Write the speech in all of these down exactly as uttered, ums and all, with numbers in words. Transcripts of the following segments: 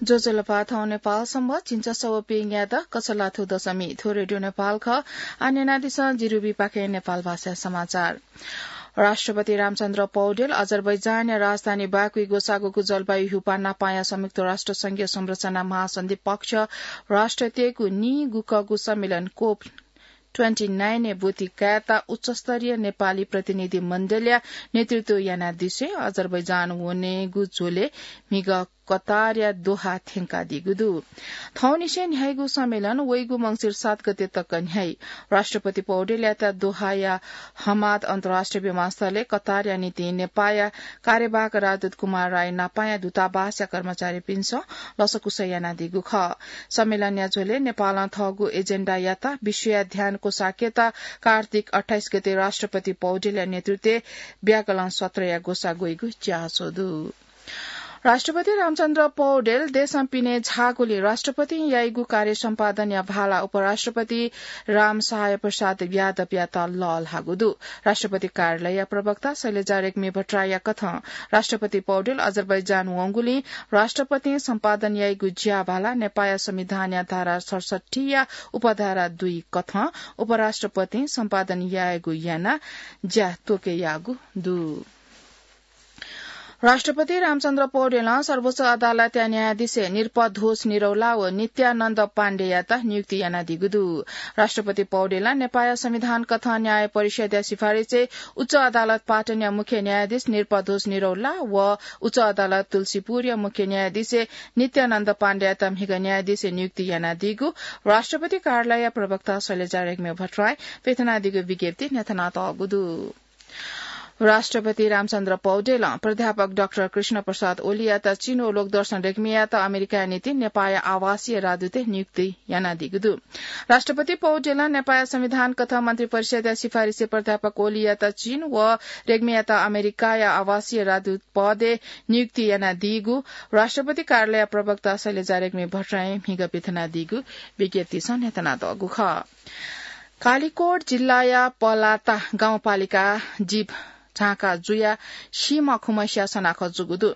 ज्वजलपा, थौं नेपाल संवत् झिंछसः व प्यंगू यात कछलाथ्व दशमी। थ्व रेडियो नेपाल खः। आः न्यनादिसँ जिरुबीपाखें नेपाल भाषा समाचार। राष्ट्रपति रामचन्द्र पौडेल अजरबैजानया राजधानी बाकुइ ग्वसाःगु जलवायु ह्यूपाः नापाया संयुक्त राष्ट्र संघीय संरचना महासन्धि पक्ष राष्ट्रतय्गु नीगुकःगु सम्मेलन कोप ट्वेन्टी नाइनय् ब्वति कायेत उच्चस्तरीय नेपाली प्रतिनिधि मण्डलया नेतृत्व यानादिसें अजरबैजान वनेगु झ्वलय् म्हिगः कतारया दोहा थ्यंकादीगु दु। थौंनिसें न्ह्याइगु सम्मेलन वइगु मंसिर सात गते तक न्ह्याइ। राष्ट्रपति पौडेलयात दोहाया हमाद अन्तर्राष्ट्रिय विमानस्थलय् कतारया निंतिं नेपाःया कार्यवाहक राजदूत कुमार राय नापाया दूतावासया कर्मचारीपिन्सं लसकुस यानादीगु खः। सम्मेलनया झ्वलय् नेपालं थःगु एजेण्डायात विश्वया ध्यान क्वसाकेत कार्तिक अट्ठाइस गते राष्ट्रपति पौडेलया नेतृत्वय् व्याकरण सत्रया ग्वसाः ग्वइगु च्यासः दु। राष्ट्रपति रामचन्द्र पौडेल देशं पिने झाःगुलिं राष्ट्रपतिं याइगु कार्य सम्पादनया भाला उपराष्ट्रपति रामसहाय प्रसाद यादवयात लःल्हाःगु दु। राष्ट्रपति कार्यालयया प्रवक्ता शैलजा रेग्मी भट्टराईया कथं राष्ट्रपति पौडेल अजरबैजान वंगुलिं राष्ट्रपतिं सम्पादन याइगु ज्याभाला नेपाःया संविधानया धारा सतसट्ठीया उपधारा दुई कथं उपराष्ट्रपतिं सम्पादन यायेगु यानाः ज्या त्वके याःगु दु। राष्ट्रपति रामचन्द्र पौडेलं सर्वोच्च अदालतया न्यायाधीश नृपध्वज निरौला व नित्यानन्द पाण्डेयात नियुक्ति यानादीगु दु। राष्ट्रपति पौडेलं नेपाःया संविधान कथं न्याय परिषदया सिफारिसय् उच्च अदालत पाटनया मुख्य न्यायाधीश नृपध्वज निरौला व उच्च अदालत तुलसीपुरया मुख्य न्यायाधीश नित्यानन्द पाण्डेयात म्हिगः न्यायाधीश नियुक्ति यानादीगु राष्ट्रपति कार्यालयया प्रवक्ता शैलजा रेग्मी भट्टराईं प्यथनादीगु विज्ञप्तिइ न्ह्यथनातःगु दु। राष्ट्रपति रामचन्द्र पौडेलं प्राध्यापक डाक्टर कृष्ण प्रसाद ओलीयात चीन व लोकदर्शन रेग्मीयात अमेरिकाया निंतिं नेपाःया आवासीय राजदूतय् नियुक्ति यानादीगु दु। राष्ट्रपति पौडेलं नेपाःया संविधान कथं मन्त्रिपरिषदया सिफारिसय् प्राध्यापक ओलीयात चीन व रेग्मीयात अमेरिकाया आवासीय राजदूत पदय् नियुक्ति यानादीगु राष्ट्रपति कार्यालयया प्रवक्ता शैलजा रेग्मी भट्टराईं म्हिगः प्यथनादीगु विज्ञप्तिसं न्ह्यथनातःगु खः। कालिकोट जिल्लाया पलाता गाउँपालिका जीप झांका जुयाः सीम्ह खुम्हसिया सनाखँ जूगु दु।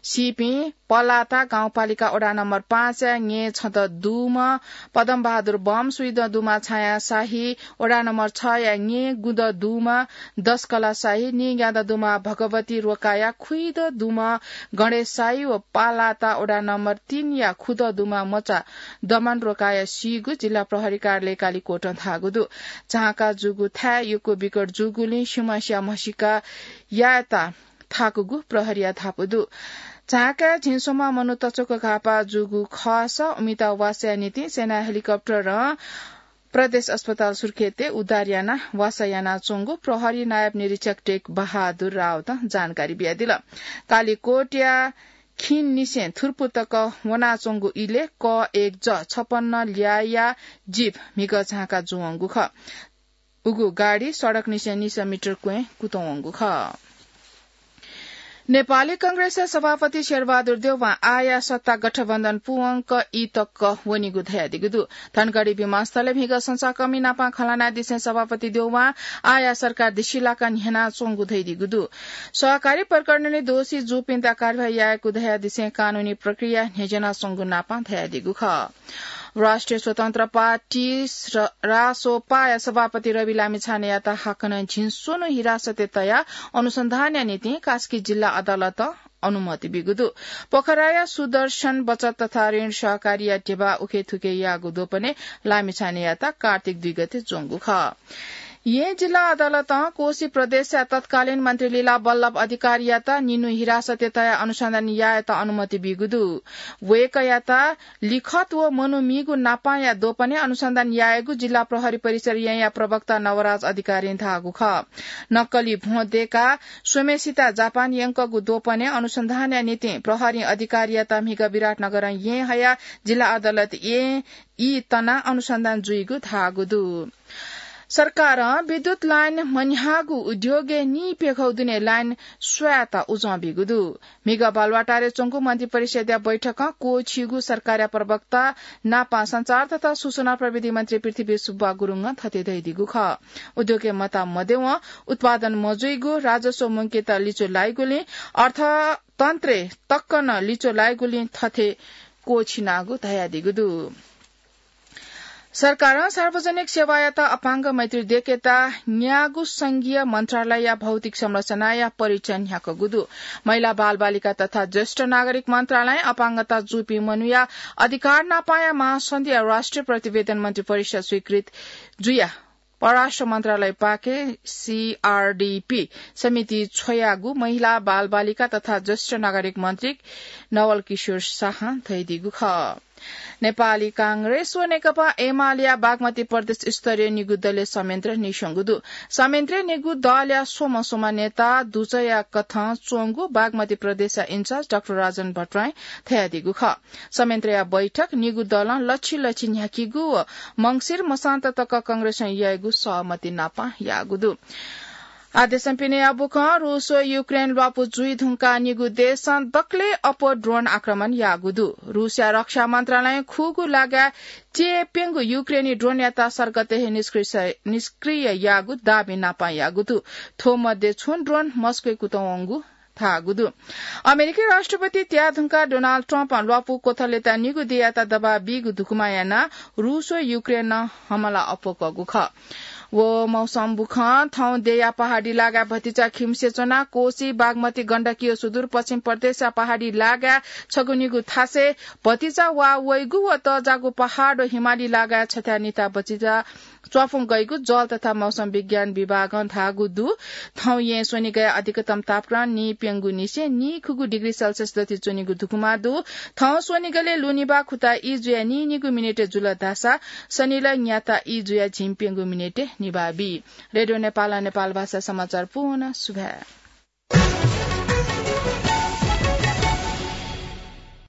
सीपिं पलाता गाउँपालिका वडा नम्बर पाँचया ङे छदँ दुम्ह पदमबहादुर बम, स्वीदँ दुम्ह छाया शाही, वडा नम्बर छया ङे गुदँ दुम्ह दशकला शाही, नीग्यादँ दुम्ह भगवती रोकाया, खुइदँ दुम्ह गणेश शाही व पलाता वडा नम्बर तीनया खुदँ दुम्ह मचा दमन रोकाया सीगु जिल्ला प्रहरी कार्यालय कालिकोटं धाःगु दु। झांका जूगु थाय् यक्व बिकट जूगुलिं सीम्हसिया म्हसीका यायेत थाकूगु प्रहरीया धापू दु। झांकाय् झिंस्वम्ह मनू तच्वक घाःपाः जूगु खःसा उमित वासःया निंतिं सेना हेलिकप्टरं प्रदेश अस्पताल सुर्खेतय् उद्धार यानाः वासः यानाच्वंगु प्रहरी नायब निरीक्षक टेक बहादुर राउतं जानकारी बियादिल। कालिकोटया खिननिसें थुर्पु तक वनाच्वंगु इलय् क एक ज छपन्न ल्याःया जीप म्हिगः झांका जूवंगु खः। उगु गाडी सडकनिसें निस मिटर क्वँय् कुतुं वंगु खः। नेपाली कांग्रेसया सभापति शेरबहादुर देउवां आःया सत्ता गठबन्धन पूवंक ई तक वनीगु धयादीगु दु। धनगढी विमानस्थलय् म्हिगः संचारकर्मी नाप खँ ल्हानादिसें सभापति देउवां आःया सरकार दिसिलाक न्ह्यनाच्वंगु धयादीगु दु। सहकारी प्रकरणय् दोषी जूपिन्त कारवाही यायेगु धयादिसें कानूनी प्रक्रिया न्ह्यज्यानाच्वंगु नाप धयादीगु खः। राष्ट्रिय स्वतन्त्र पार्टी र रासोपाया सभापति रवि लामिछानेयात हाकनं झिंस्वन्हु हिरासतय् तयाः अनुसन्धानया निंतिं कास्की जिल्ला अदालतं अनुमति बीगु दु। पोखराया सुदर्शन बचत तथा ऋण सहकारीया ध्यबा उखेथुखे याःगु द्वपनय् लामिछानेयात कार्तिक दुई गते ज्वंगु खः। येँ जिल्ला अदालतं कोशी प्रदेशया तत्कालीन मन्त्री लीला बल्लभ अधिकारीयात निन्हु हिरासतय् तयाः अनुसन्धान यायेत अनुमति बीगु दु। वय्कःयात लिखत व मनू मीगु नापांया द्वपनय् अनुसन्धान यायेगु जिल्ला प्रहरी परिसर येँया प्रवक्ता नवराज अधिकारीं धाःगु खः। नक्कली भ्वं दय्काः स्वम्हेसित जापान यंकःगु द्वपनय् अनुसन्धानया निंतिं प्रहरीं अधिकारीयात म्हिगः विराटनगरं येँ हयाः जिल्ला अदालत येँ ई तनाः अनुसन्धान जुइगु धाःगु दु। सरकारं विद्युत लाइन मन्ह्याःगु उद्योगय् नीप्यघौ दुने लाइन स्वयेत उजं बीगु दु। म्हिगः बालुवाटारय् च्वंगु मन्त्रिपरिषद्या बैठकं क्वःछिइगु सरकारया प्रवक्ता नापं सञ्चार तथा सूचना प्रविधि मन्त्री पृथ्वी सुब्बा गुरुङं थथे धयादीगु खः। उद्योगय् मता मद्यवं उत्पादन मजुइगु, राजस्व मुंकेत लिचु लाइगुलिं अर्थतन्त्रय् तक्क नं लिचु लाइगुलिं थथे क्वःछिनागु धयादीगु दु। सरकारं सार्वजनिक सेवायात अपाङ्ग मैत्री देकेता न्यागू संघीय मन्त्रालयया भौतिक संरचनाया परीक्षण न्ह्याकूगु दु। महिला, बालबालिका तथा ज्येष्ठ नागरिक मन्त्रालयं अपाङ्गता जूपिं मनूया अधिकार नापाया महासन्धिया राष्ट्रिय प्रतिवेदन मन्त्री परिषद स्वीकृत जुया परराष्ट्र मन्त्रालयपाखें सीआरडीपी समिति छ्वयागु महिला, बालबालिका तथा ज्येष्ठ नागरिक मन्त्री नवल किशोर शाहं धयादीगु खः। नेपाली कांग्रेस व नेकपा एमालेया बागमती प्रदेश स्तरीय निगू दलय् संयन्त्र नीस्वंगु दु। संयन्त्रय् निगू दलया स्वम्ह स्वम्ह नेता दुजःया कथं च्वंगु बागमती प्रदेशया इन्चार्ज डाक्टर राजन भट्टराईं धयादीगु खः। संयन्त्रया बैठक निगू दलं लछि लछि न्ह्याकीगु व मंसिर मसान्त तक कांग्रेसं याइगु सहमति नापं याःगु दु। आदेशं पिने अबुकं रूस व युक्रेन ल्वापु जुइ धुंकाः निगू देशं दकले अप्वः ड्रोन आक्रमण याःगु दु। रूसया रक्षा मन्त्रालयं खुगू लागाय् च्यय् प्यंगू युक्रेनी ड्रोनयात सर्गतय् हे निष्क्रिय, निष्क्रिय याःगु दाबी नापं याःगु दु। थ्व मध्ये छुं ड्रोन मस्कोय् कुतः वंगु धाःगु दु। अमेरिकी राष्ट्रपति त्याः धुंकाः डोनाल्ड ट्रम्पं ल्वापु क्वथलय् निगू देय्‌यात दबाब बीगु धुकुमा यानाः रूस व युक्रेनं हमला अप्वः कःगु खः। व मौसम बुखं थौं देय्‌या पहाडी लागाय् भतिचा खिम्हसे च्वनाः कोशी, बागमती, गण्डकी व सुदूरपश्चिम प्रदेशया पहाडी लागाय् छगू निगू थासय् भतिचा वा वइगु व तःजाःगु पहाड व हिमाली लागाय् छथाय् निता भतिचा च्वाफुं गइगु जल तथा मौसम विज्ञान विभागं धाःगु दु। थौं येँ स्वनिगया अधिकतम तापक्रम नीप्यंगू निसें नीखुगू डिग्री सेल्सियस दथि च्वनीगु धुकुमा दु। थौं स्वनिगलय् लुनिबा खुता ई जुयाः नीनिगू मिनेट जुल धाःसा सनिलय् न्याता ई जुयाः झिंप्यंगू मिनेट निभाः बी। रेडियो नेपालं नेपाल भाषा समाचार पूवं सुभाय्।